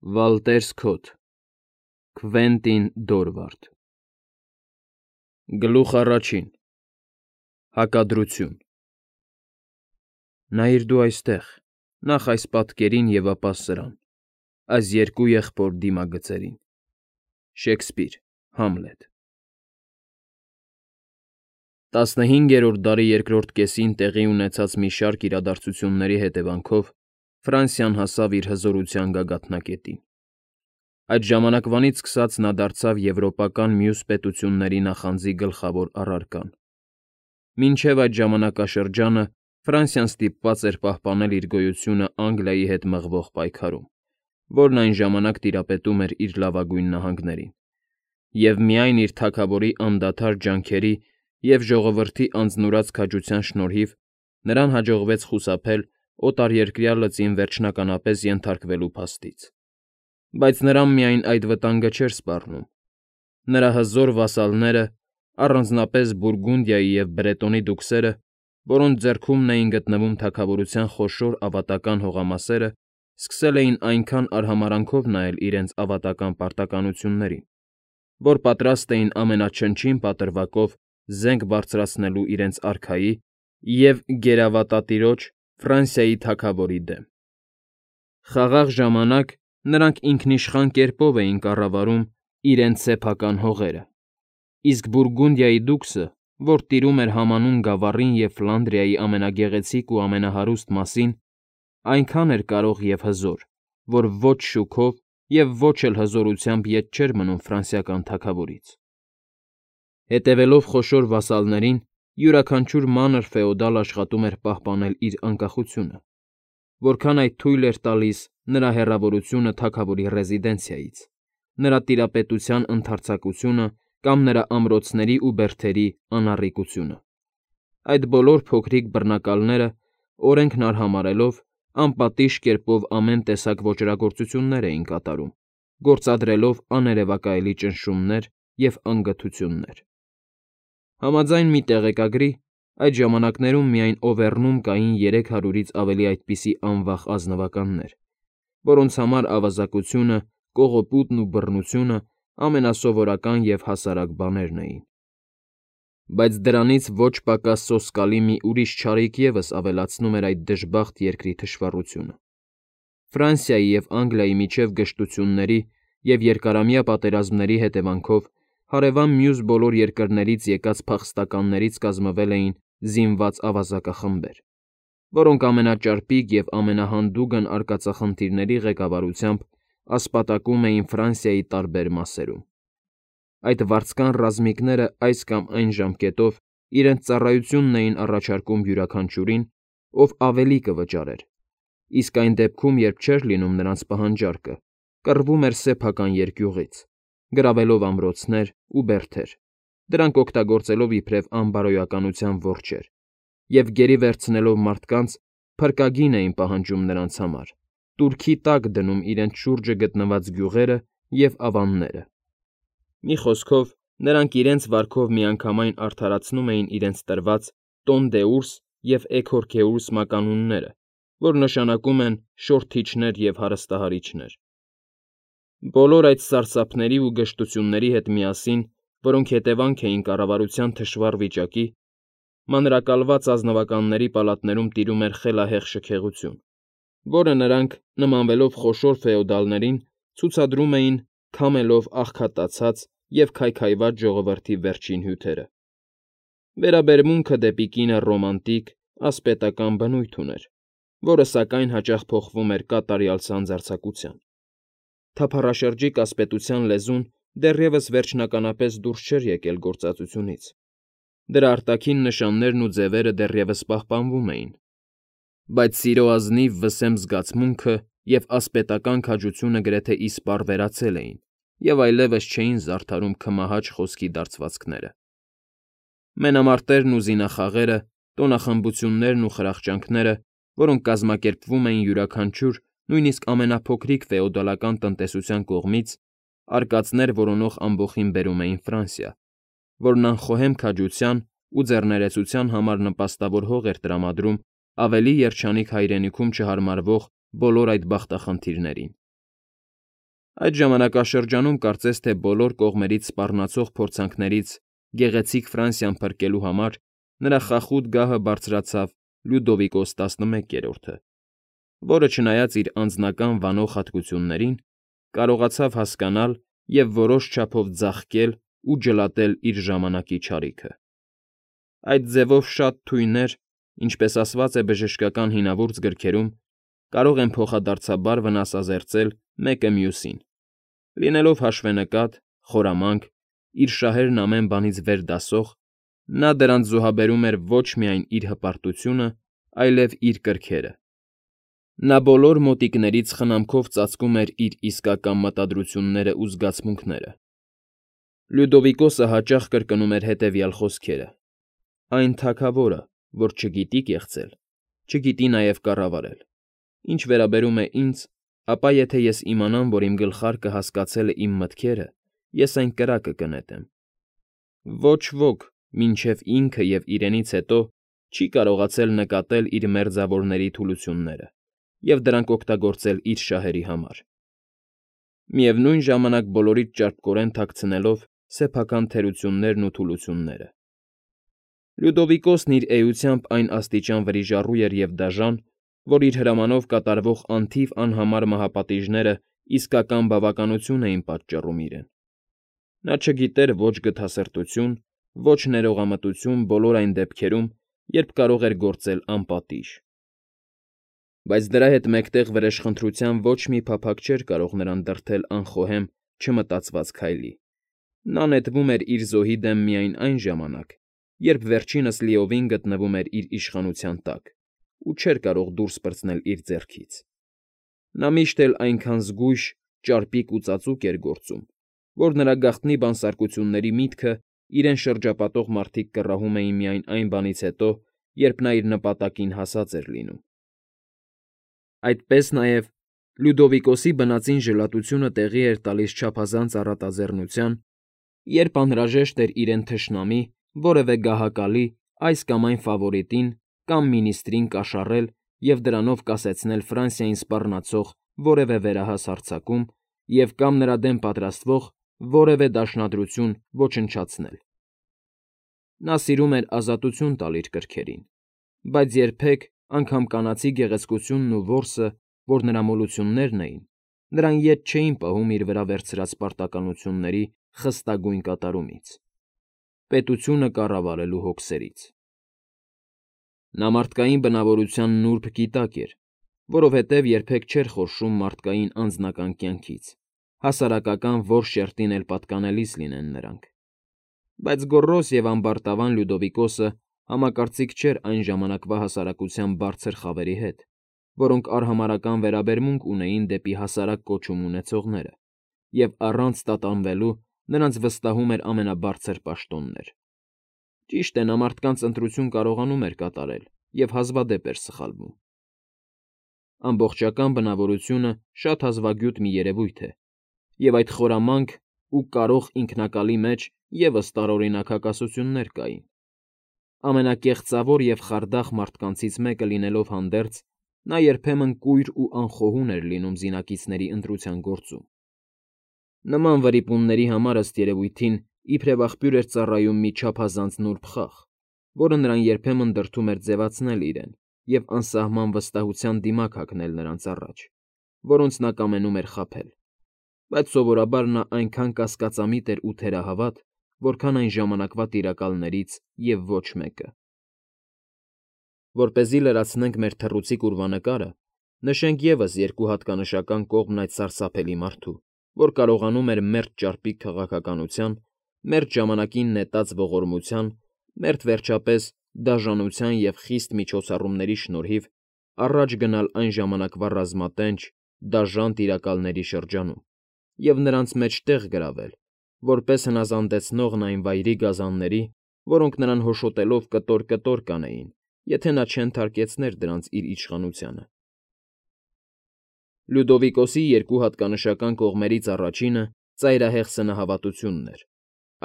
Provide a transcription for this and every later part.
Վալտեր Սքոթ, Քվենտին Դորվարդ։ Գլուխ առաջին։ Հակադրություն։ Նայիր դու այստեղ, նախ այս պատկերին և ապա սրան, այս երկու եղբոր դիմագծերին։ Շեքսպիր, Համլետ։ 15-րդ դարի երկրորդ կեսին տեղի ունեցած մի շարք իրադարձությունների հետևանքով Ֆրանսիան հասավ իր հզորության գագաթնակետին։ Այդ ժամանակվանից սկսած նա դարձավ եվրոպական մյուս պետությունների նախանձի գլխավոր առարկան։ Մինչև այդ ժամանակաշրջանը Ֆրանսիան ստիպված էր պահպանել իր գոյությունը Անգլիայի հետ մղվող պայքարում, որն այն ժամանակ տիրապետում էր իր լավագույն նահանգներին, և միայն իր թագավորի անդադար ջանքերի և ժողովրդի անձնուրաց քաջության շնորհիվ նրան հաջողվեց խուսափել օտարերկրյա լծին վերջնականապես ենթարկվելու փաստից։ Բայց նրան միայն այդ վտանգը չէր սպառնում։ Նրա հզոր վասալները, առանձնապես Բուրգունդիայի և Բրետոնի դուքսերը, որոնց ձեռքումն էին գտնվում թագավորության խոշոր ավատական հողամասերը, սկսել էին այնքան արհամարհանքով նայել իրենց ավատական պարտականություններին, որ պատրաստ էին ամենաչնչին պատրվակով զենք բարձրացնելու իրենց արքայի և գերավատատիրոջ Ֆրանսիայի թագավորի դեմ։ Խաղաղ ժամանակ նրանք ինքնիշխան կերպով էին կառավարում իրենց սեփական հողերը, իսկ Բուրգունդիայի դուքսը, որ տիրում էր համանուն գավառին և Ֆլանդրիայի ամենագեղեցիկ ու ամենահարուստ մասին, այնքան էր կարող և հզոր, որ ոչ շուքով և ոչ էլ հզորությամբ ետ չէր մնում ֆրանսիական թագավորից։ Հետևելով խոշոր վասալներին, յուրաքանչյուր մանր ֆեոդալ աշխատում էր պահպանել իր անկախությունը, որքան այդ թույլ էր տալիս նրա հեռավորությունը թագավորի ռեզիդենցիայից, նրա տիրապետության ընդարձակությունը կամ նրա ամրոցների ու բերդերի անառիկությունը։ Այդ բոլոր փոքրիկ բռնակալները, օրենքն արհամարհելով, անպատիժ կերպով ամեն տեսակ ոճրագործություններ էին կատարում, գործադրելով աներևակայելի ճնշումներ և անգթություններ։ Համաձայն մի տեղեկագրի, այդ ժամանակներում միայն Օվերնում կային 300-ից ավելի այդպիսի անվախ ազնվականներ, որոնց համար ավազակությունը, կողոպուտն ու բռնությունը ամենասովորական և հասարակ բաներն էին։ Բայց դրանից ոչ պակաս սոսկալի մի ուրիշ չարիք ևս ավելացնում էր այդ դժբախտ երկրի թշվառությունը։ Ֆրանսիայի և Անգլիայի միջև գժտությունների և երկարամյա պատերազմների հետևանքով հարևան մյուս բոլոր երկրներից եկած փախստականներից կազմվել էին զինված ավազակախմբեր, որոնք ամենաճարպիկ և ամենահանդուգն արկածախնդիրների ղեկավարությամբ ասպատակում էին Ֆրանսիայի տարբեր մասերում։ Այդ վարձկան ռազմիկները այս կամ այն ժամկետով իրենց ծառայությունն էին առաջարկում յուրաքանչյուրին, ով ավելի կվճարեր, իսկ այն դեպքում, երբ չէր լինում նրանց պահանջարկը, կռվում էր սեփական երկյուղից, գրավելով ամրոցներ ու բերդեր, դրանք օգտագործելով իբրև անբարոյականության որջեր, և գերի վերցնելով մարդկանց, փրկագին էին պահանջում նրանց համար, տուրքի տակ դնում իրենց շուրջը գտնված գյուղերը և ավանները։ Մի խոսքով, նրանք իրենց վարքով միանգամայն արդարացնում էին իրենց տրված «տոն դեուրս» և «էգոր գեուրս» մականունները, որ նշանակում են շորթիչներ և հարստահարիչներ։ Բոլոր այդ սարսափների ու գժտությունների հետ միասին, որոնք հետևանք էին կառավարության թշվառ վիճակի, մանրակալված ազնվականների պալատներում տիրում էր խելահեղ շքեղություն, որը նրանք, նմանվելով խոշոր ֆեոդալներին, ցուցադրում էին քամելով աղքատացած և քայքայված ժողովրդի վերջին հյութերը։ Վերաբերմունքը դեպի կինը ռոմանտիկ, ասպետական բնույթ ուներ, որը սակայն հաճախ փոխվում էր կատարյալ սանձարձակության։ Թափառաշրջիկ ասպետության լեզուն դեռևս վերջնականապես դուրս չէր եկել գործածությունից։ Դրա արտաքին նշաններն ու ձևերը դեռևս պահպանվում էին, բայց սիրո ազնիվ վսեմ զգացմունքը և ասպետական քաջությունը գրեթե իսպառ վերացել էին և այլևս չէին զարդարում քմահաճ խոսքի դարձվածքները։ Մենամարտերն ու զինախաղերը, տոնախմբություններն ու խրախճանքները, որոնք կազմակերպվում էին յուրաքանչյուր, նույնիսկ ամենափոքրիկ ֆեոդալական տնտեսության կողմից, արկածներ որոնող ամբոխին բերում էին Ֆրանսիա, որն անխոհեմ քաջության ու ձեռներեցության համար նպաստավոր հող էր տրամադրում ավելի երջանիկ հայրենիքում չհարմարվող բոլոր այդ բախտախնդիրներին։ Այդ ժամանակաշրջանում կարծես թե բոլոր կողմերից սպառնացող փորձանքներից գեղեցիկ Ֆրանսիան փրկելու համար նրա խախուտ գահը բարձրացավ Լյուդովիկոս 11-րդը, որը չնայած իր անձնական վանող հատկություններին, կարողացավ հասկանալ և որոշ չափով ձաղկել ու ջլատել իր ժամանակի չարիքը։ Այդ ձևով շատ թույներ, ինչպես ասված է բժշկական հինավուրց գրքերում, կարող են փոխադարձաբար վնասազերծել մեկը մյուսին, լինելով հաշվենկատ, խորամանկ, իր շահերն ամեն բանից վեր դասող, նա դրանց զոհաբերում էր ոչ միայն իր հպարտությունը, այլև իր կրքերը։ Նա բոլոր մոտիկներից խնամքով ծածկում էր իր իսկական մտադրություններն ու զգացմունքները։ Լյուդովիկոսը հաճախ կրկնում էր հետևյալ խոսքերը. «Այն թագավորը, որ չգիտի կեղծել, չգիտի նաև կառավարել։ Ինչ վերաբերում է ինձ, ապա եթե ես իմանամ, որ իմ գլխարկը հասկացել է իմ մտքերը, ես այն կրակը կնետեմ։ Ոչ ոք, մինչև ինքը և իրենից հետո, չի կարողացել նկատել իր մերձավորների թուլությունները և դրանք օգտագործել իր շահերի համար, միևնույն ժամանակ բոլորից ճարպկորեն թաքցնելով սեփական թերություններն ու թուլությունները։ Լյուդովիկոսն իր էությամբ այն աստիճան վրիժառու էր և դաժան, որ իր հրամանով կատարվող անթիվ անհամար մահապատիժները իսկական բավականություն էին պատճառում իրեն։ Նա չգիտեր ոչ գթասրտություն, ոչ ներողամտություն բոլոր այն դեպքերում, երբ կարող էր գործել անպատիժ։ Բայց դրա հետ մեկտեղ վրեժխնդրության ոչ մի փափագ չէր կարող նրան դրդել անխոհեմ, չմտածված քայլի։ Նա նետվում էր իր զոհի դեմ միայն այն ժամանակ, երբ վերջինս լիովին գտնվում էր իր իշխանության տակ ու չէր կարող դուրս պրծնել իր ձեռքից։ Նա միշտ էլ այնքան զգույշ, ճարպիկ ու ծածուկ էր գործում, որ նրա գաղտնի բանսարկությունների միտքը իրեն շրջապատող մարդիկ կռահում էին միայն այն բանից հետո, երբ նա իր նպատակին հասած էր լինում։ Այդպես նաև Լյուդովիկոսի բնածին ժլատությունը տեղի էր տալիս չափազանց առատաձեռնության, երբ անհրաժեշտ էր իրեն թշնամի, որևէ գահակալի, այս կամ այն ֆավորիտին կամ մինիստրին կաշառել և դրանով կասեցնել Ֆրանսիային սպառնացող որևէ վերահաս հարձակում և կամ նրա դեմ պատրաստվող որևէ դաշնադրություն ոչնչացնել։ Նա սիրում էր ազատություն տալ իր կրքերին, բայց երբեք, անգամ կանացի գեղեցկությունն ու որսը, որ նրա մոլություններն էին, նրան ետ չէին պահում իր վրա վերցրած պարտականությունների խստագույն կատարումից, պետությունը կառավարելու հոգսերից։ Նա մարդկային բնավորության նուրբ գիտակ էր, որովհետև երբեք չէր խորշում մարդկային անձնական կյանքից, հասարակական որ շերտին էլ պատկանելիս լինեն նրանք։ Բայց գոռոզ և ամբարտավան Լյուդովիկոսը համակարծիք չէր այն ժամանակվա հասարակության բարձր խավերի հետ, որոնք արհամարհական վերաբերմունք ունեին դեպի հասարակ կոչում ունեցողները, և առանց տատանվելու նրանց վստահում էր ամենաբարձր պաշտոններ։ Ճիշտ է, նա մարդկանց ընտրություն կարողանում էր կատարել և հազվադեպ էր սխալվում։ Ամբողջական բնավորությունը շատ հազվագյուտ մի երևույթ է, և այդ խորամանկ ու կարող ինքնակալի մեջ ևս տարօրինակ հակասություններ կային։ Ամենակեղծավոր և խարդախ մարդկանցից մեկը լինելով հանդերձ, նա երբեմն կույր ու անխոհուն էր լինում զինակիցների ընտրության գործում։ Նման վրիպումների համար, ըստ երևույթին, իբրև աղբյուր էր ծառայում մի չափազանց նուրբ խաղ, որը նրան երբեմն դրդում էր ձևացնել իրեն և անսահման վստահության դիմակ հագնել նրանց առաջ, որոնց նա կամենում էր խաբել, բայց սովորաբար նա այնքան կասկածամիտ էր ու թերահավատ, որքան այն ժամանակվա տիրակալներից և ոչ մեկը։ Որպեսզի լրացնենք մեր թռուցիկ ուրվանկարը, նշենք ևս երկու հատկանշական կողմն այդ սարսափելի մարդու, որ կարողանում էր մերթ ճարպիկ քաղաքականության, մերթ ժամանակին նետած ողորմության, մերթ վերջապես դաժանության և խիստ միջոցառումների շնորհիվ առաջ գնալ այն ժամանակվա ռազմատենչ, դաժան տիրակալների շրջանում և նրանց մեջ տեղ գրավել, որպես հնազանդեցնողն այն վայրի գազանների, որոնք նրան հոշոտելով կտոր֊կտոր կանեին, եթե նա չենթարկեցներ դրանց իր իշխանությանը։ Լյուդովիկոսի երկու հատկանշական կողմերից առաջինը ծայրահեղ սնահավատությունն էր,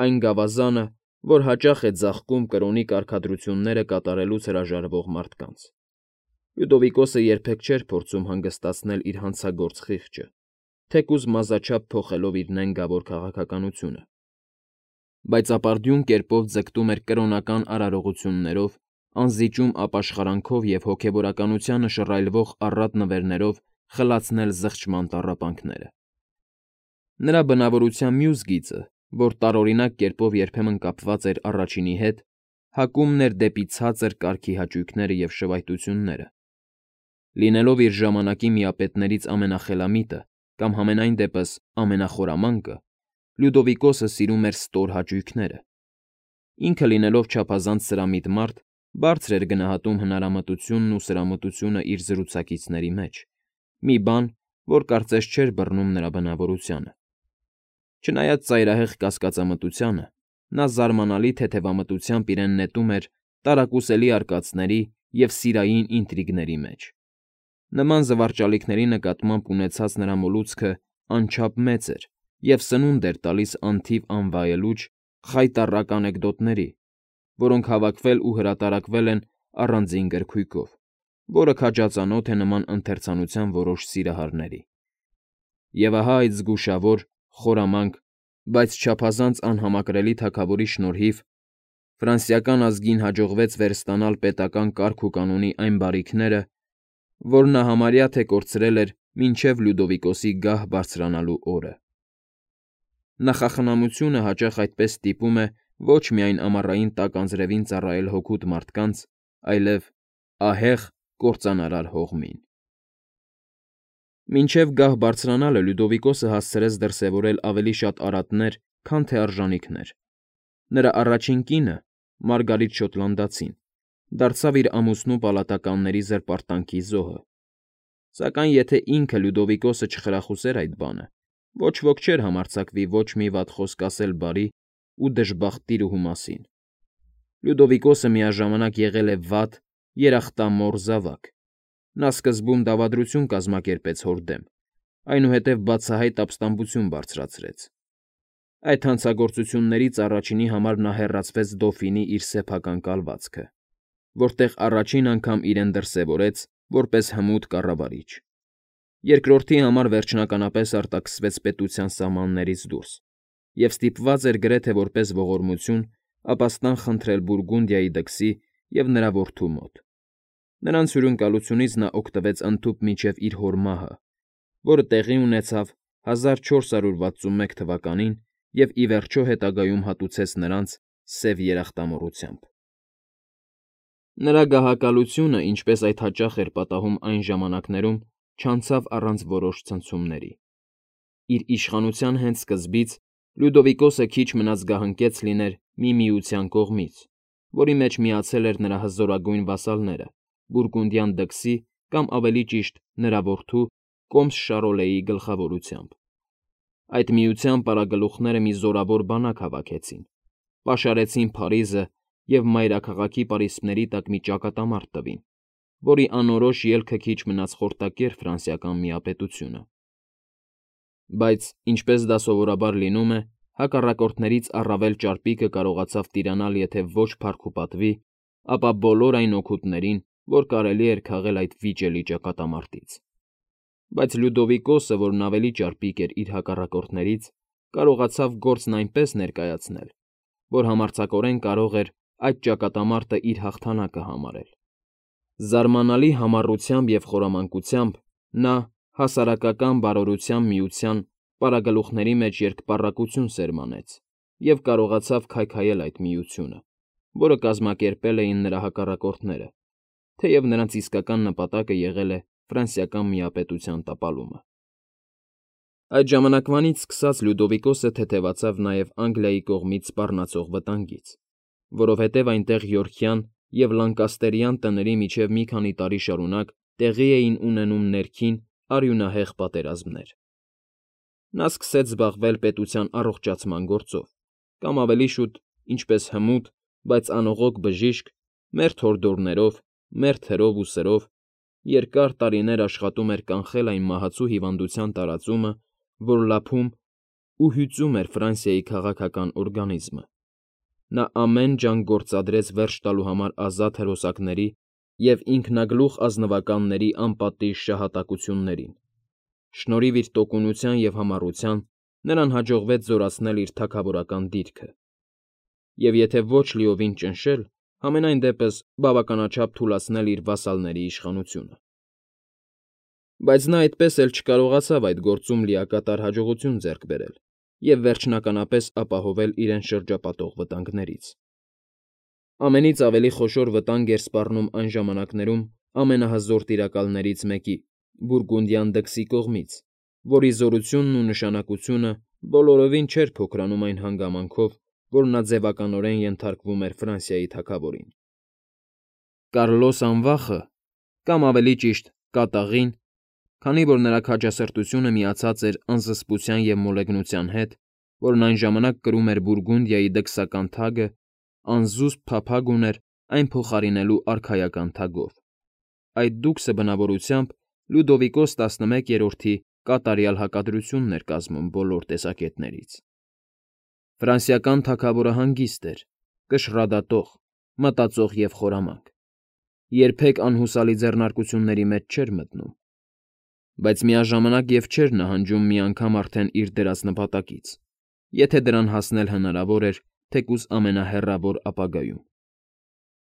այն գավազանը, որ հաճախ է ձաղկում կրոնի կարգադրությունները կատարելուց հրաժարվող մարդկանց։ Լյուդովիկոսը երբեք չէր փորձում հանգստացնել իր հանցագործ խիղճը, թեկուզ մազաչափ փոխելով իր նենգավոր քաղաքականությունը։ Բայց ապարդյուն կերպով ձգտում էր կրոնական արարողություններով, անզիջում ապաշխարանքով և հոգևորականությանը շռայլվող առատ նվերներով խլացնել զղջման տառապանքները։ Նրա բնավորության մյուս գիծը, որ տարօրինակ կերպով երբեմն կապված էր առաջինի հետ, հակումն էր դեպի ցածր կարգի հաճույքները և շվայտությունները։ Լինելով իր ժամանակի միապետներից ամենախելամիտը կամ համենայն դեպս ամենախորամանկը, Լյուդովիկոսը սիրում էր ստոր հաճույքները։ Ինքը լինելով չափազանց սրամիտ մարդ, բարձր էր գնահատում հնարամտությունն ու սրամտությունը իր զրուցակիցների մեջ, մի բան, որ կարծես չէր բռնում նրա բնավորությանը։ Չնայած ծայրահեղ կասկածամտությանը, նա զարմանալի թեթևամտությամբ իրեն նետում էր տարակուսելի արկածների և սիրային ինտրիգների մեջ։ Նման զվարճալիքների նկատմամբ ունեցած նրա մոլուցքը անչափ մեծ էր և սնունդ էր տալիս անթիվ անվայելուչ, խայտառակ անեկդոտների, որոնք հավաքվել ու հրատարակվել են առանձին գրքույկով, որը քաջածանոթ է նման ընթերցանության որոշ սիրահարների։ Եվ ահա այդ զգուշավոր, խորամանկ, բայց չափազանց անհամակրելի թագավորի շնորհիվ ֆրանսիական ազգին հաջողվեց վերստանալ պետական կարգ ու կանոնի այն բարիքները, որ նա համարյա թե կորցրել էր մինչև Լյուդովիկոսի գահ բարձրանալու օրը։ Նախախնամությունը հաճախ այդպես ստիպում է ոչ միայն ամառային տաք անձրևին ծառայել հօգուտ մարդկանց, այլև ահեղ կործանարար հողմին։ Մինչև գահ բարձրանալը Լյուդովիկոսը հասցրեց դրսևորել ավելի շատ արատներ, քան թե արժանիքներ։ Նրա առաջին կինը, Մարգարիտ Շոտլանդացին, դարձավ իր ամուսնու պալատականների զրպարտանքի զոհը։ Սակայն եթե ինքը Լյուդովիկոսը չխրախուսեր այդ բանը, ոչ ոք չէր համարձակվի ոչ մի վատ խոսք ասել բարի ու դժբախտ տիրուհու մասին։ Լյուդովիկոսը միաժամանակ եղել է վատ, երախտամոռ զավակ։ Նա սկզբում դավադրություն կազմակերպեց հոր դեմ, այնուհետև բացահայտ ապստամբություն բարձրացրեց։ Այդ հանցագործություններից առաջինի համար նա հեռացվեց Դոֆինի իր սեփական կալվածքը, որտեղ առաջին անգամ իրեն դրսևորեց որպես հմուտ կառավարիչ։ Երկրորդի համար վերջնականապես արտաքսվեց պետության սահմաններից դուրս և ստիպված էր գրեթե որպես ողորմություն ապաստան խնդրել Բուրգունդիայի դքսի և նրա որդու մոտ։ Նրանց հյուրընկալությունից նա օգտվեց ընդհուպ մինչև իր հոր մահը, որը տեղի ունեցավ 1461 թվականին և ի վերջո հետագայում հատուցեց նրանց սև երախտամոռությամբ։ Նրա գահակալությունը, ինչպես այդ հաճախ էր պատահում այն ժամանակներում, չանցավ առանց որոշ ցնցումների։ Իր իշխանության հենց սկզբից Լյուդովիկոսը քիչ մնաց գահընկեց լիներ մի միության կողմից, որի մեջ միացել էր նրա հզորագույն վասալները Բուրգունդյան դքսի կամ ավելի ճիշտ նրա որդու Կոմս Շարոլեի գլխավորությամբ։ Այդ միության պարագլուխները մի զորավոր բանակ հավաքեցին, պաշարեցին Փարիզը և մայրաքաղաքի պարիսպների տակ մի ճակատամարտ տվին, որի անորոշ ելքը քիչ մնաց խորտակեր ֆրանսիական միապետությունը։ Բայց, ինչպես դա սովորաբար լինում է, հակառակորդներից առավել ճարպիկը կարողացավ տիրանալ եթե ոչ փառք ու պատվի, ապա բոլոր այն օգուտներին, որ կարելի էր քաղել այդ վիճելի ճակատամարտից։ Բայց Լյուդովիկոսը, որն ավելի ճարպիկ էր իր հակառակորդներից, կարողացավ գործն այնպես ներկայացնել, որ համարձակորեն կարող էր այդ ճակատամարտը իր հաղթանակը համարել։ Զարմանալի համառությամբ և խորամանկությամբ նա հասարակական բարօրության միության պարագլուխների մեջ երկպառակություն սերմանեց և կարողացավ քայքայել այդ միությունը, որը կազմակերպել էին նրա հակառակորդները, թեև նրանց իսկական նպատակը եղել է ֆրանսիական միապետության տապալումը։ Այդ ժամանակվանից սկսած Լյուդովիկոսը թեթևացավ նաև Անգլիայի կողմից սպառնացող վտանգից, որովհետև այնտեղ Յորքյան և Լանկաստերյան տների միջև մի քանի տարի շարունակ տեղի էին ունենում ներքին արյունահեղ պատերազմներ։ Նա սկսեց զբաղվել պետության առողջացման գործով, կամ ավելի շուտ, ինչպես հմուտ, բայց անողոք բժիշկ, մերթ հորդորներով, մերթ հրով ու սրով, երկար տարիներ աշխատում էր կանխել այն մահացու հիվանդության տարածումը, որ լափում ու հյուծում էր Ֆրանսիայի քաղաքական օրգանիզմը։ Նա ամեն ջանք գործադրեց վերջ տալու համար ազատ հրոսակների և ինքնագլուխ ազնվականների անպատիժ շահատակություններին, Շնորհիվ իր տոկունության և համառության նրան հաջողվեց զորացնել իր թագավորական դիրքը, և եթե ոչ լիովին ճնշել, համենայն դեպս բավականաչափ թուլացնել իր վասալների իշխանությունը։ Բայց նա այդպես էլ չկարողացավ այդ գործում լիակատար հաջողություն ձեռք բերել և վերջնականապես ապահովել իրեն շրջապատող վտանգներից։ Ամենից ավելի խոշոր վտանգ էր սպառնում այն ժամանակներում ամենահզոր տիրակալներից մեկի՝ Բուրգունդյան դքսի կողմից, որի զորությունն ու նշանակությունը բոլորովին չէր փոքրանում այն հանգամանքով, որ նա ձևականորեն ենթարկվում էր Ֆրանսիայի թագավորին։ Կարլոս Անվախը, կամ ավելի ճիշտ կատաղին, քանի որ նրա քաջասրտությունը միացած էր անզսպության և մոլեգնության հետ, որն այն ժամանակ կրում էր Բուրգունդիայի դքսական թագը, անզուսպ փափագ ուներ այն փոխարինելու արքայական թագով։ Այդ դուքսը բնավորությամբ Լյուդովիկոս 11-րդի կատարյալ հակադրությունն էր կազմում բոլոր տեսակետներից։ Ֆրանսիական թագավորը հանգիստ էր, կշռադատող, մտածող և խորամանկ, երբեք անհուսալի ձեռնարկությունների մեջ չէր մտնում, բայց միաժամանակ և չէր նահանջում մի անգամ արդեն իր դրած նպատակից, եթե դրան հասնել հնարավոր էր թեկուզ ամենահեռավոր ապագայում։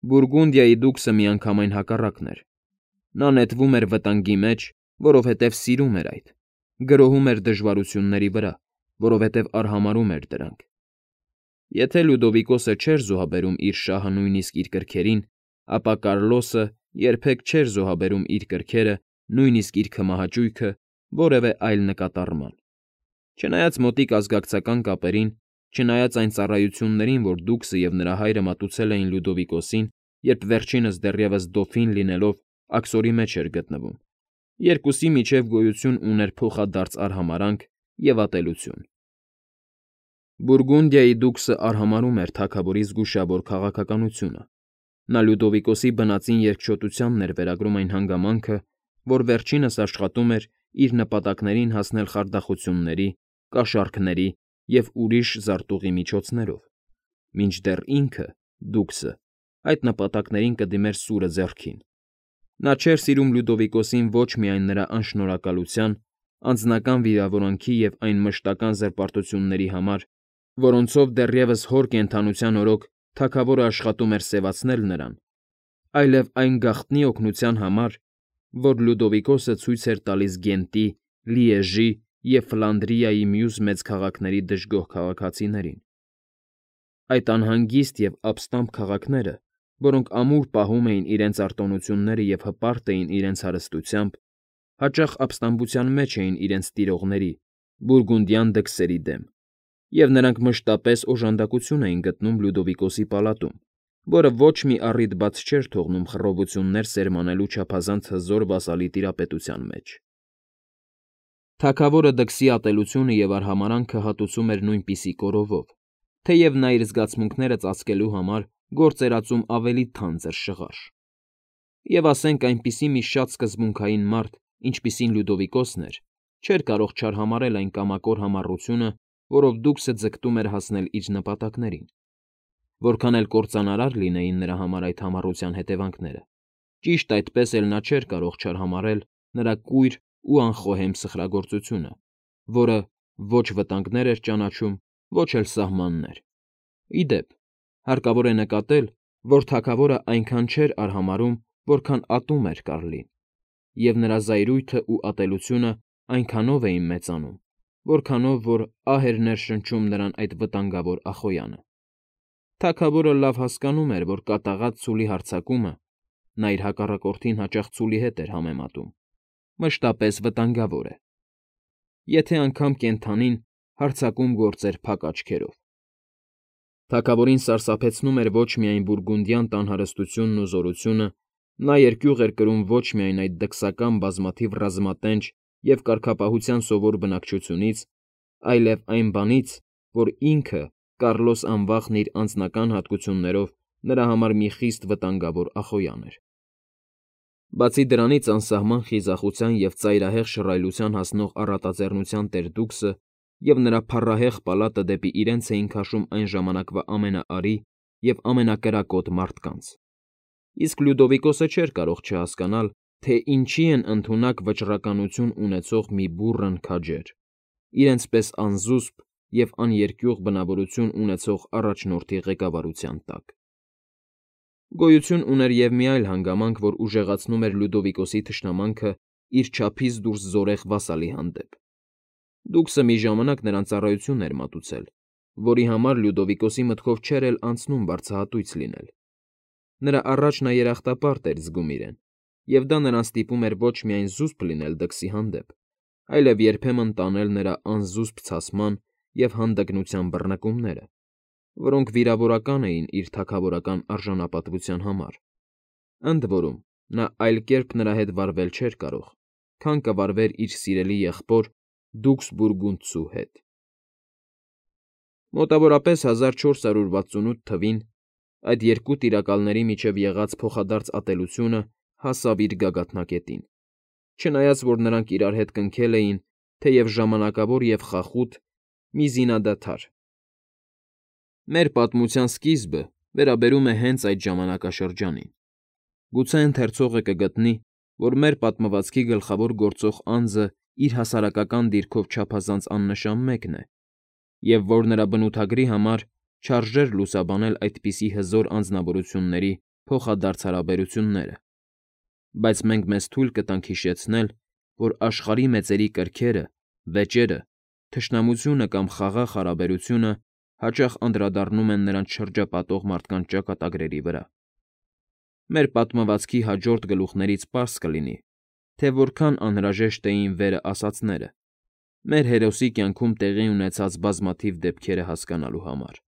Բուրգունդիայի դուքսը միանգամայն հակառակն էր. նա նետվում էր վտանգի մեջ, որովհետև սիրում էր այդ, գրոհում էր դժվարությունների վրա, որովհետև արհամարհում էր դրանք։ Եթե Լյուդովիկոսը չէր զոհաբերում իր շահը նույնիսկ իր կրքերին, ապա Կարլոսը երբեք չէր զոհաբերում իր կրքերը, նույնիսկ իր քմահաճույքը որևէ այլ նկատառման։ Չնայած մոտիկ ազգակցական կապերին, չնայած այն ծառայություններին, որ դուքսը և նրա հայրը մատուցել էին Լյուդովիկոսին, երբ վերջինս դեռևս դոֆին լինելով աքսորի մեջ էր գտնվում, երկուսի միջև գոյություն ուներ փոխադարձ արհամարհանք և ատելություն։ Բուրգունդիայի դուքսը արհամարհում էր թագավորի զգուշավոր քաղաքականությունը։ Նա Լյուդովիկոսի բնածին երկչոտությանն էր վերագրում այն հանգամանքը, որ վերջինս աշխատում էր իր նպատակներին հասնել խարդախությունների, կաշառքների և ուրիշ զարտուղի միջոցներով, մինչդեռ ինքը՝ դուքսը, այդ նպատակներին կդիմեր սուրը ձեռքին։ Նա չէր սիրում Լյուդովիկոսին ոչ միայն նրա անշնորհակալության, անձնական վիրավորանքի և այն մշտական զրպարտությունների համար, որոնցով դեռևս հոր կենդանության օրոք թագավորը աշխատում էր սևացնել նրան, այլև այն գաղտնի օգնության համար, որ Լյուդովիկոսը ցույց էր տալիս Գենտի, Լիեժի և Ֆլանդրիայի մյուս մեծ քաղաքների դժգոհ քաղաքացիներին։ Այդ անհանգիստ և ապստամբ քաղաքները, որոնք ամուր պահում էին իրենց արտոնությունները և հպարտ էին իրենց հարստությամբ, հաճախ ապստամբության մեջ էին իրենց տիրողների՝ բուրգունդյան դքսերի դեմ, և նրանք մշտապես օժանդակություն էին գտնում Լյուդովիկոսի պալատում, որը ոչ մի առիթ բաց չէր թողնում խռովություններ սերմանելու չափազանց հզոր վասալի տիրապետության մեջ։ Թագավորը դքսի ատելությունը և արհամարհանքը հատուցում էր նույնպիսի կորովով, թեև նա իր զգացմունքները ծածկելու համար գործ էր ածում ավելի թանձր շղարշ։ Եվ ասենք այնպիսի մի շատ սկզբունքային մարդ, ինչպիսին Լյուդովիկոսն էր, չէր կարող չարհամարհել այն կամակոր համառությունը, որով դուքսը ձգտում էր հասնել իր նպատակներին։ Որքան էլ կործանարար լինեին նրա համար այդ համառության հետևանքները, ճիշտ այդպես էլ նա չէր կարող չարհամարհել նրա կույր ու անխոհեմ սխրագործությունը, որը ոչ վտանգներ էր ճանաչում, ոչ էլ սահմաններ։ Ի դեպ, հարկավոր է նկատել, որ թագավորը այնքան չէր արհամարհում, որքան ատում էր Կարլին, և նրա զայրույթն ու ատելությունը այնքանով էին մեծանում, որքանով որ ահ էր ներշնչում նրան այդ վտանգավոր Ախոյանը։ Թագավորը լավ հասկանում էր, որ կատաղած ցուլի հարձակումը (նա իր հակառակորդին հաճախ ցուլի հետ էր համեմատում) մշտապես վտանգավոր է։ Եթե անգամ կենդանին հարձակում գործեր փակ աչքերով։ Թագավորին սարսափեցնում էր ոչ միայն բուրգունդյան տան հարստությունն ու զորությունը, նա երկյուղ էր կրում ոչ միայն այդ դքսական բազմաթիվ ռազմատենչ և կարգապահության սովոր բնակչությունից, այլև այն բանից, որ ինքը՝ Կարլոս Անվախն իր անձնական հատկություններով նրա համար մի խիստ վտանգավոր Ախոյան էր։ Բացի դրանից անսահման խիզախության և ծայրահեղ շռայլության հասնող առատաձեռնության տեր֊դուքսը և նրա փառահեղ պալատը դեպի իրենց էին քաշում այն ժամանակվա ամենաարի և ամենակրակոտ մարդկանց։ Իսկ Լյուդովիկոսը չէր կարող չհասկանալ, թե ինչի են ընդունակ վճռականություն ունեցող մի բուռն քաջեր, իրենց պես անզուսպ և աներկյուղ բնավորություն ունեցող առաջնորդի ղեկավարության տակ։ Գոյություն ուներ և մի այլ հանգամանք, որ ուժեղացնում էր Լյուդովիկոսի թշնամանքը իր չափից դուրս զորեղ վասալի հանդեպ։ Դուքսը մի ժամանակ նրան ծառայություն էր մատուցել, որի համար Լյուդովիկոսի մտքով չէր էլ անցնում վարձահատույց լինել։ Նրա առաջ նա երախտապարտ էր զգում իրեն, և դա նրան ստիպում էր ոչ միայն զուսպ լինել դքսի հանդեպ, այլև երբեմն տանել նրա անզուսպ ցասման և հանդգնության բռնկումները, որոնք վիրավորական էին իր թագավորական արժանապատվության համար։ Ընդ որում, նա այլ կերպ նրա հետ վարվել չէր կարող, քան կվարվեր իր սիրելի եղբոր դուքս Բուրգունդցու հետ։ Մոտավորապես 1468 թվին այդ երկու տիրակալների միջև եղած փոխադարձ ատելությունը հասավ իր գագաթնակետին, չնայած որ նրանք իրար հետ կնքել էին, թեև ժամանակավոր և խախուտ, մի զինադադար։ Մեր պատմության սկիզբը վերաբերում է հենց այդ ժամանակաշրջանին։ Գուցե ընթերցողը կգտնի, որ մեր պատմվածքի գլխավոր գործող անձը իր հասարակական դիրքով չափազանց աննշան մեկն է, և որ նրա բնութագրի համար չարժեր լուսաբանել այդպիսի հզոր անձնավորությունների փոխադարձ հարաբերությունները, բայց մենք մեզ թույլ կտանք հիշեցնել, որ աշխարհի մեծերի կրքերը, վեճերը, թշնամությունը կամ խաղաղ հարաբերությունը հաճախ անդրադառնում են նրանց շրջապատող մարդկանց ճակատագրերի վրա։ Մեր պատմվածքի հաջորդ գլուխներից պարզ կլինի, թե որքան անհրաժեշտ էին վերը ասածները՝ մեր հերոսի կյանքում տեղի ունեցած բազմաթիվ դեպքերը հասկանալու համար։